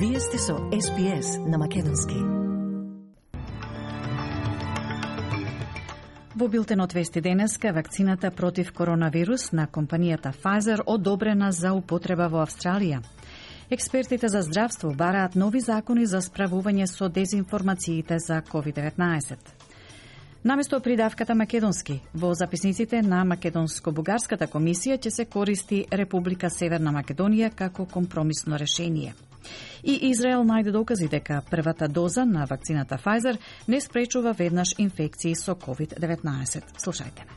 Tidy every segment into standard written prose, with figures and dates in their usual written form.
Вие сте со SPS на Македонски. Во билтенот вести денеска, вакцината против коронавирус на компанијата Pfizer одобрена за употреба во Австралија. Експертите за здравство бараат нови закони за справување со дезинформациите за COVID-19. Наместо придавката македонски, во записниците на Македонско-бугарската комисија ќе се користи Република Северна Македонија како компромисно решение. И Израел најде докази дека првата доза на вакцината Pfizer не спречува веднаш инфекции со COVID-19. Слушајте ме.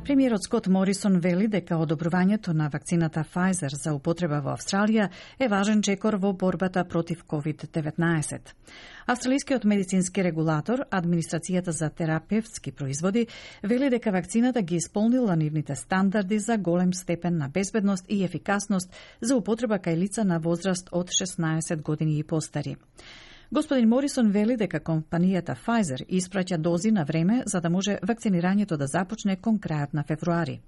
Премиерот Скот Морисон вели дека одобрувањето на вакцината Pfizer за употреба во Австралија е важен чекор во борбата против COVID-19. Австралискиот медицински регулатор, Администрацијата за терапевтски производи, вели дека вакцината ги исполнила нивните стандарди за голем степен на безбедност и ефикасност за употреба кај лица на возраст од 16 години и постари. Господин Морисон вели дека компанијата Pfizer испраќа дози на време за да може вакцинирањето да започне кон крајот на февруари.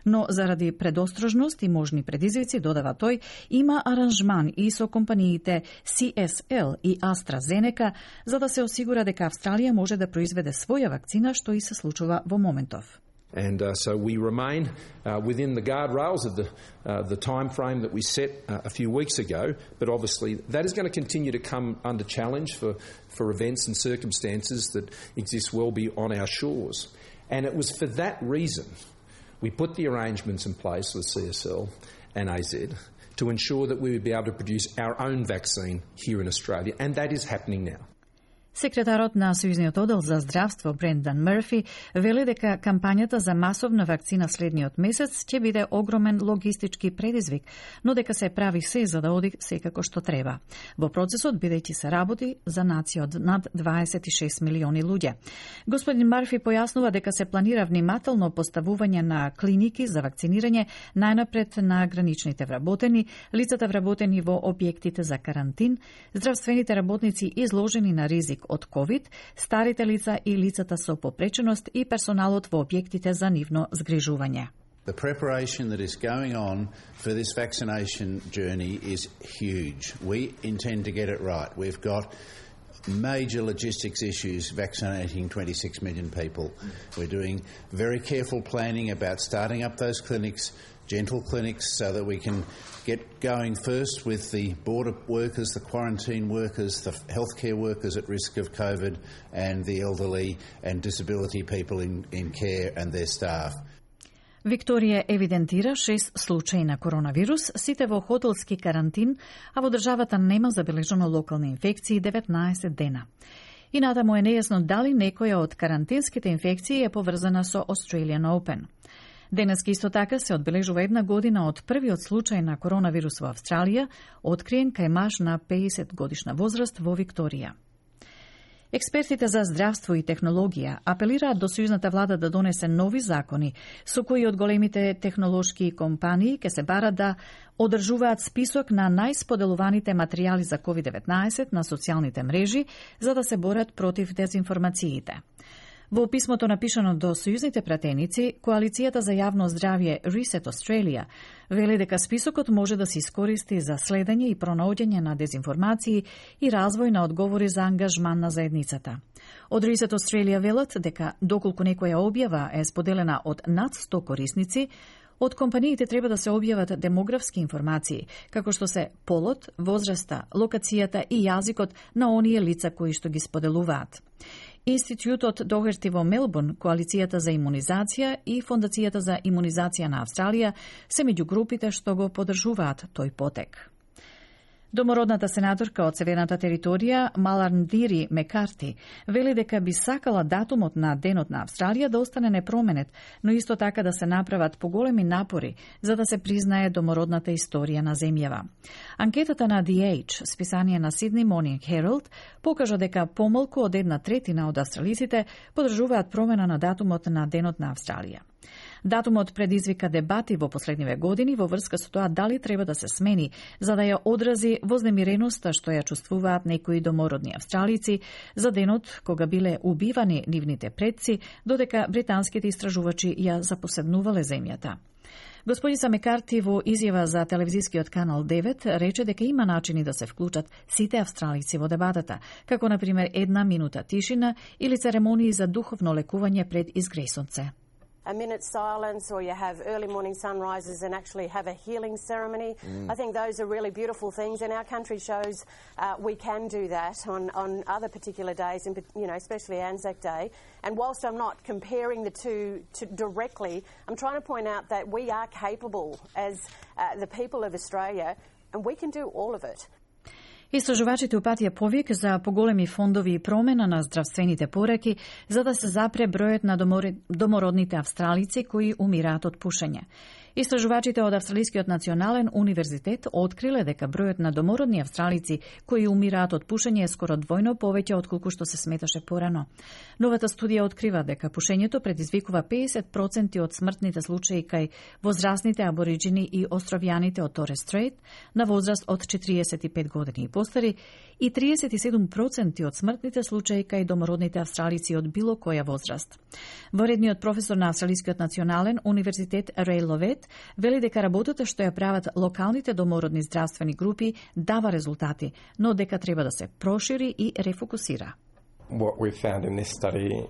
Но заради предострожност и можни предизвици, додава тој, има аранжман и со компаниите CSL и AstraZeneca за да се осигура дека Австралија може да произведе своја вакцина, што и се случува во моментов. And so we remain within the guardrails of the time frame that we set a few weeks ago, but obviously that is going to continue to come under challenge for events and circumstances that exist well beyond our shores. And it was for that reason we put the arrangements in place with CSL and AZ to ensure that we would be able to produce our own vaccine here in Australia, and that is happening now. Секретарот на Сојузниот оддел за здравство Брендан Мърфи вели дека кампањата за масовна вакцина следниот месец ќе биде огромен логистички предизвик, но дека се прави се за да оди секако што треба. Во процесот бидејќи се работи за нација од над 26 милиони луѓе. Господин Мърфи појаснува дека се планира внимателно поставување на клиники за вакцинирање најнапред на граничните вработени, лицата вработени во објектите за карантин, здравствените работници изложени на ризик од COVID, старите лица и лицата со попреченост и персоналот во објектите за нивно згрижување. The preparation that is going on for this vaccination journey is huge. We intend to get it right. We've got major logistics issues vaccinating 26 million people. We're doing very careful planning about starting up those clinics, gentle clinics, so that we can get going first with the border workers, the quarantine workers, the healthcare workers at risk of COVID, and the elderly and disability people in care and their staff. Викторија евидентира 6 случаи на коронавирус, сите во хотелски карантин, а во државата нема забележано локални инфекции 19 дена. И натаму е нејасно дали некоја од карантинските инфекции е поврзана со Australian Open. Денеска исто така се одбележува една година од првиот случај на коронавирус во Австралија, откриен кај маж на 50 годишна возраст во Викторија. Експертите за здравство и технологија апелираат до сојузната влада да донесе нови закони со кои од големите технолошки компании ќе се бара да одржуваат список на најсподелуваните материјали за COVID-19 на социјалните мрежи за да се борат против дезинформациите. Во писмото напишано до сојузните пратеници, Коалицијата за јавно здравје Reset Australia вели дека списокот може да се искористи за следење и пронаоѓање на дезинформации и развој на одговори за ангажман на заедницата. Од Reset Australia велат дека доколку некоја објава е споделена од над 100 корисници, од компаниите треба да се објават демографски информации, како што се полот, возраста, локацијата и јазикот на оние лица кои што ги споделуваат. Институтот Догерти во Мелбурн, Коалицијата за имунизација и Фондацијата за имунизација на Австралија се меѓу групите што го поддржуваат тој потек. Домородната сенаторка од Северната територија Маларндири Мекарти вели дека би сакала датумот на Денот на Австралија да остане непроменет, но исто така да се направат поголеми напори за да се признае домородната историја на земјава. Анкетата на The Age, списание на Sydney Morning Herald, покажа дека помалку од 1/3 од австралиците поддржуваат промена на датумот на Денот на Австралија. Датумот предизвика дебати во последниве години во врска со тоа дали треба да се смени, за да ја одрази вознемиреноста што ја чувствуваат некои домородни австралици за денот кога биле убивани нивните предци, додека британските истражувачи ја запоседнувале земјата. Господица Мекарти во изјава за телевизискиот канал 9 рече дека има начини да се вклучат сите австралици во дебатата, како на пример 1 минута тишина или церемонии за духовно лекување пред изгресонце. A minute's silence, or you have early morning sunrises and actually have a healing ceremony. I think those are really beautiful things, and our country shows we can do that on other particular days, and especially Anzac Day. And whilst I'm not comparing the two directly, I'm trying to point out that we are capable as the people of Australia, and we can do all of it. Истражувачите упатија повик за поголеми фондови и промена на здравствените пораки за да се запре бројот на домородните австралици кои умираат од пушење. Истражувачите од Австралискиот национален универзитет откриле дека бројот на домородни австралици кои умираат од пушење е скоро двојно повеќе отколку што се сметаше порано. Новата студија открива дека пушењето предизвикува 50% од смртните случаи кај возрастните абориџини и островјаните од Торес Стрейт на возраст од 45 години и постари и 37% од смртните случаи кај домородните австралици од било која возраст. Воредниот професор на Австралискиот национален универзитет Рей Ловет вели дека работата што ја прават локалните домородни здравствени групи дава резултати, но дека треба да се прошири и рефокусира. What we've found in this study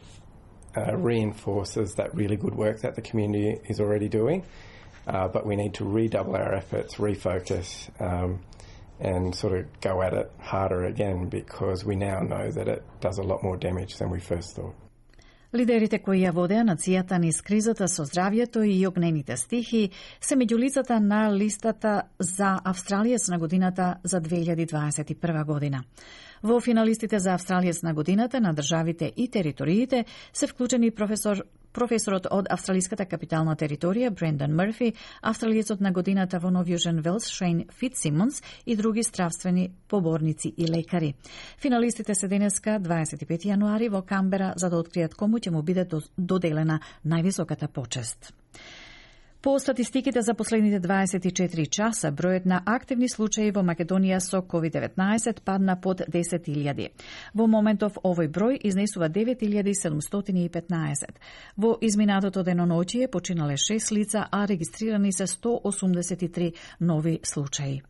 reinforces that really good work that the community is already doing, but we need to redouble our efforts, refocus, and sort of go at it harder again because we now know that it does a lot more damage than we first thought. Лидерите кои ја водеа нацијата низ кризата со здравјето и огнените стихии се меѓу лицата на листата за Австралиец на годината за 2021 година. Во финалистите за Австралиец на годината на државите и териториите се вклучени професорот од Австралиската капитална територија Брендан Мърфи, австралиецот на годината во Нов Јужен Велс Шейн Фитсимонс и други здравствени поборници и лекари. Финалистите се денеска 25 јануари во Камбера за да откријат кому ќе му биде доделена највисоката почест. По статистиките за последните 24 часа, бројот на активни случаи во Македонија со COVID-19 падна под 10.000. Во моментов овој број изнесува 9.715. Во изминатото деноноќие починале 6 лица, а регистрирани се 183 нови случаи.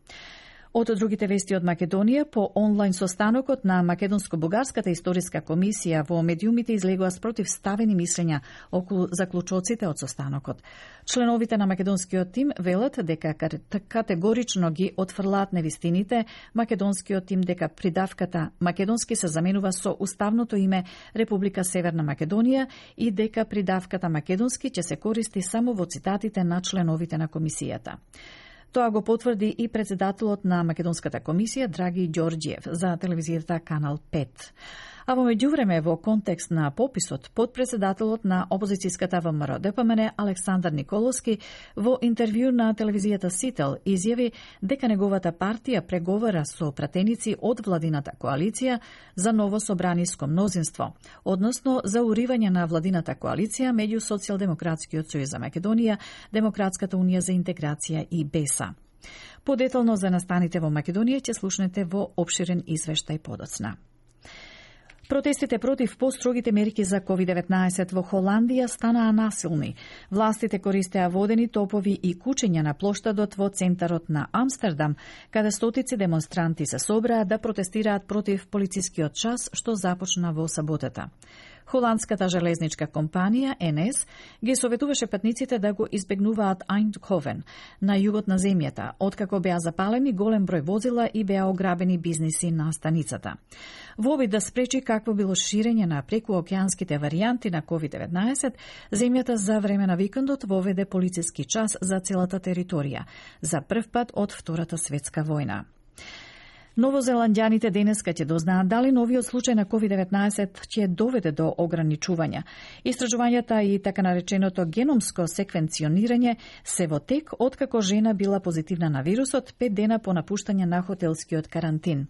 Од другите вести од Македонија, по онлайн состанокот на Македонско-бугарската историска комисија во медиумите излегува спротивставени мислења околу заклучоците од состанокот. Членовите на македонскиот тим велат дека категорично ги отфрлаат невистините, македонскиот тим дека придавката македонски се заменува со уставното име Република Северна Македонија и дека придавката македонски ќе се користи само во цитатите на членовите на комисијата. Тоа го потврди и председателот на Македонската комисија Драги Ѓорѓиев за телевизијата Канал 5. А во меѓувреме, во контекст на пописот, подпредседателот на опозицијската ВМРО ДПМН Александар Николовски во интервју на телевизијата Сител изјави дека неговата партија преговара со пратеници од владината коалиција за ново собраниско мнозинство, односно за уривање на владината коалиција меѓу Социјалдемократскиот сојуз за Македонија, Демократската унија за интеграција и БЕСА. Подетално за настаните во Македонија ќе слушнете во опширен извештај подоцна. Протестите против построгите мерки за COVID-19 во Холандија станаа насилни. Властите користеа водени топови и кучења на плоштадот во центарот на Амстердам, каде стотици демонстранти се собраа да протестираат против полицискиот час што започна во саботата. Холандската железничка компанија НС ги советуваше патниците да го избегнуваат Eindhoven на југот на земјата, откако беа запалени голем број возила и беа ограбени бизниси на станицата. Во обид да спречи какво било ширење на прекуокеанските варијанти на COVID-19, земјата за време на викендот воведе полициски час за целата територија, за прв пат од Втората светска војна. Новозеландјаните денеска ќе дознаат дали новиот случај на COVID-19 ќе доведе до ограничувања. Истражувањата и така нареченото геномско секвенционирање се во тек откако жена била позитивна на вирусот 5 дена по напуштање на хотелскиот карантин.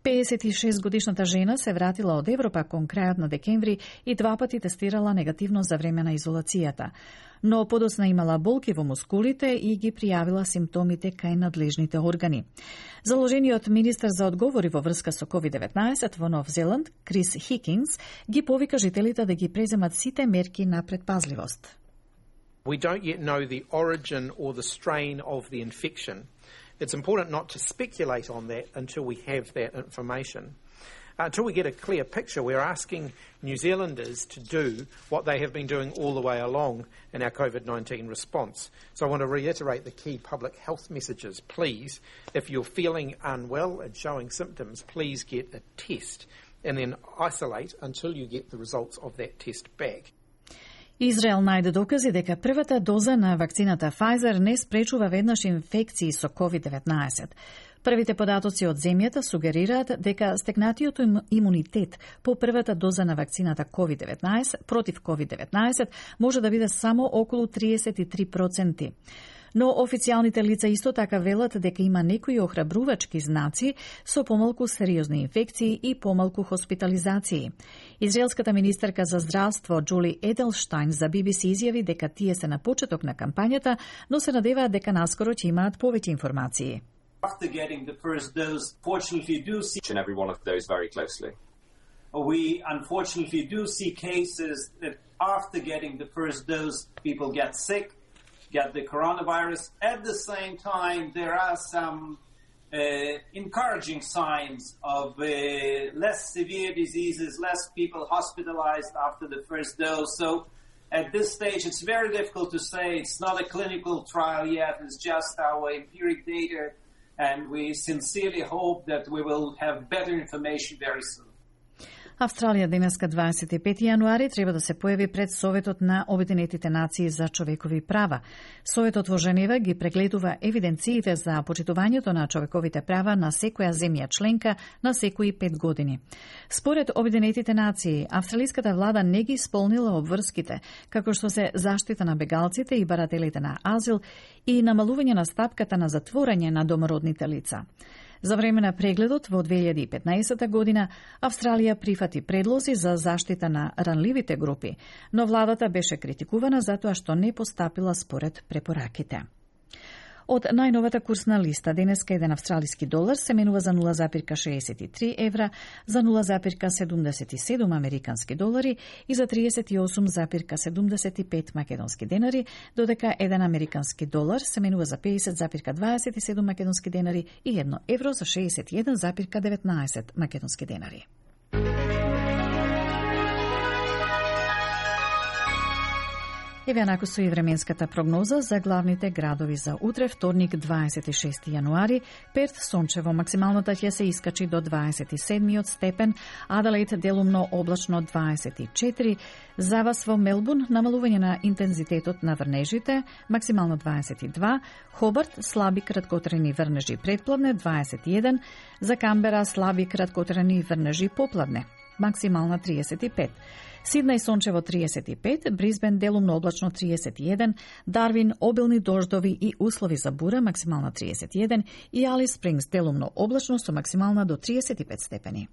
56-годишната жена се вратила од Европа кон крајот на декември и 2 пати тестирала негативно за време на изолацијата. Но подоцна имала болки во мускулите и ги пријавила симптомите кај надлежните органи. Заложениот министер за одговори во врска со COVID-19 во Нов Зеланд, Крис Хикинс, ги повика жителите да ги преземат сите мерки на предпазливост. We don't yet know the origin or the strain of the infection. It's important not to speculate on that until we have that information. Until we get a clear picture, we're asking New Zealanders to do what they have been doing all the way along in our COVID-19 response. So I want to reiterate the key public health messages. Please, if you're feeling unwell and showing symptoms, please get a test and then isolate until you get the results of that test back. Израел најде докази дека првата доза на вакцината Pfizer не спречува веднаш инфекции со COVID-19. Првите податоци од земјата сугерираат дека стекнатиот имунитет по првата доза на вакцината COVID-19 против COVID-19 може да биде само околу 33%. Но официјалните лица исто така велат дека има некои охрабрувачки знаци со помалку сериозни инфекции и помалку хоспитализации. Израелската министерка за здравство Джули Еделштайн за BBC изјави дека тие се на почеток на кампањата, но се надеваат дека наскоро ќе имаат повеќе информации. After getting the first dose, fortunately do see each and every one of those very closely. We unfortunately do see cases that after getting the first dose, people get sick, get the coronavirus. At the same time, there are some encouraging signs of less severe diseases, less people hospitalized after the first dose. So at this stage, it's very difficult to say. It's not a clinical trial yet. It's just our empiric data. And we sincerely hope that we will have better information very soon. Австралија денеска 25 јануари треба да се појави пред Советот на Обединетите нации за човекови права. Советот во Женева ги прегледува евиденциите за почитувањето на човековите права на секоја земја членка на секои 5 години. Според Обединетите нации, австралиската влада не ги исполнила обврските, како што се заштита на бегалците и барателите на азил и намалување на стапката на затворање на домородните лица. За време на прегледот во 2015 година, Австралија прифати предлози за заштита на ранливите групи, но владата беше критикувана затоа што не постапила според препораките. Од најновата курсна листа, денеска еден австралиски долар се менува за 0,63 евра, за 0,77 американски долари и за 38,75 македонски денари, додека еден американски долар се менува за 50,27 македонски денари и 1 евро за 61,19 македонски денари. Еве накусу и временската прогноза за главните градови за утре, вторник 26 јануари. Перт сончево, максималната ќе се искачи до 27 степен, Аделаид делумно облачно 24, за вас во Мелбурн намалување на интензитетот на врнежите, максимално 22, Хобарт слаби краткотрени врнежи предпладне 21, за Камбера слаби краткотрени врнежи попладне, максимална 35. Сиднеј сончево 35, Брисбен делумно облачно 31, Дарвин обилни дождови и услови за бура, максимална 31 и Алис Спрингс делумно облачно со максимална до 35 степени.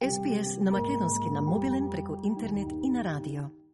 SPS на македонски на мобилен преку интернет и на радио.